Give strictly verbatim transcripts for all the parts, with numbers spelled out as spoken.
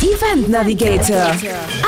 Event Navigator,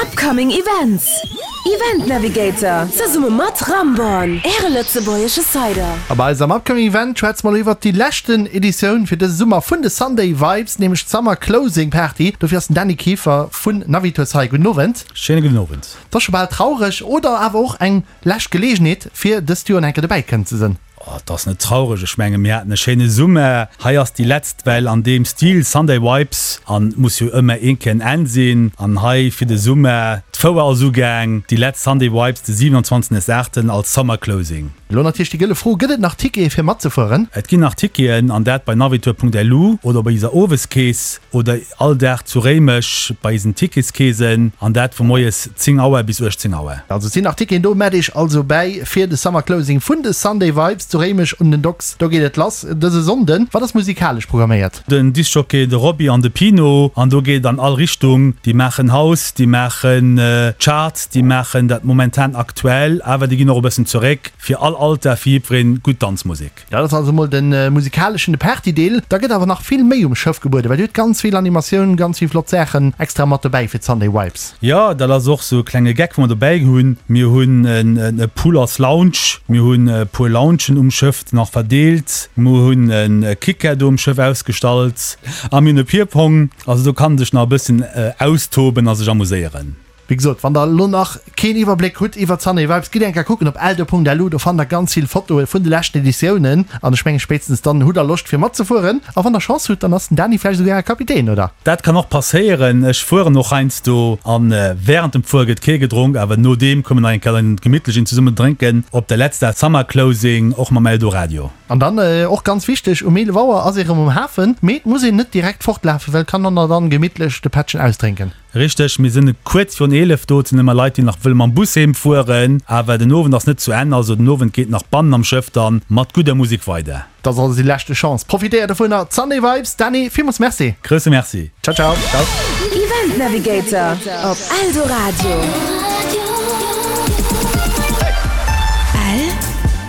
Upcoming Events. Event Navigator, zesumme mat Ramborn, Äre lëtzebuergesche Cider. A bei eisem Upcoming Event schwätze mer elo iwwert déi leschten Editioun fir dëse Summer vun de Sunday Vibes, nämlech d'Summer Closing Party. Dofir ass den Dany Kieffer vun Navitours hei. Gudden Owend. Schéine gudden Owend. Et ass scho bal traureg oder awer och eng lescht Geleegenheet fir dëst Joer nach eng Kéier dobäi kënnen ze sinn. Oh, et ass net traureg, ech menge mir haten e schéine Summer. Hei ass déi letzt Well an deem Stil, Sunday Vibes, an et muss jo ëmmer een Kéier en Enn sinn. An hei fir de Summer, d'Fouer ass ugaang, déi letzt Sunday Vibes de siwenundzwanzegsten aachten als Summer Closing. Elo natierlech déi gëlle Fro, Gëtt et nach Tickete fir matzefueren? Et ginn nach Ticketen, an dat bei navitour.lu oder bei eiser Oweskeess oder all Dag zu Réimech bei eisen Ticketskeesen, an dat vu moies zéng Auer bis uechtzéng Auer. Also et sinn nach Ticketen do, mellt iech also bäi fir de Summer Closing vun de Sunday Vibes. Zu Réimech un den Docks, do geet et lass dëse Sonnden. Wat ass musikalesch programméiert? Den Discjockey, de Robby an de Pino, an do geet et an all Richtung. Déi maachen House, déi maachen Chart, déi maachen dat momentan aktuell, awer déi ginn och e bëssen zeréck. Fir all Alter, fir jiddwereen gutt Danzmusek. Dat ass also mol de musikaleschen, de Party-Deel. Da gëtt awer nach vill méi um Schëff gebueden, well Dir hutt ganz vill Animatioun, ganz vill flott Saachen extra mat dobäi fir d'Sunday Vibes. Jo, dat ass och sou e klenge Geck, wou mer dobäi hunn. Mir hunn e Pool als Lounge, mir hunn e puer Loungen um Schëff nach verdeelt, mir hunn e Kicker do um Schëff ausgestallt a mir hunn e Peerpong. Also do kann sech nach e bëssen austoben a sech amuséieren. Wéi gesot, wann der elo nach keen Iwwerbléck hutt iwwert Sunday Vibes, gitt eng Kéier kucken op eldo.lu, do fannt der ganz vill Fotoe vun de leschten Editiounen an ech mengen spéitstens dann hutt der Loscht fir matzefueren. A wann der Chance hutt, dann ass den Dany vläicht esouguer Äre Kapitän, oder? Dat kann och passéieren. Ech fueren och heiansdo an wärend dem Fuere gëtt kee gedronk, awer nodeem kommen nach eng Kéier en gemittlech een zesummen drénken op der letzter Summer Closing, och mam Eldoradio. An dann och ganz wichteg, um eelef Auer ass ee rëm um Hafen, mee et muss een net direkt fortlafen, well et kann dann dann gemittlech de Pättchen ausdrénken. Richteg, mir sinn kuerz virun eelef do. Et sinn ëmmer Leit, déi nach wëlle mam Bus heem fueren. Awer den Owend ass net zu Enn, also den Owend geet nach bannen am Schëff dann mat gudder Musek weider. Dat ass also déi leschte Chance. Profitéiert dovunner! D'Sunday Vibes. Dany, villmools Merci. Grousse Merci. Ciao, ciao. Ciao. Event Navigator op Eldoradio.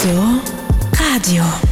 Eldoradio.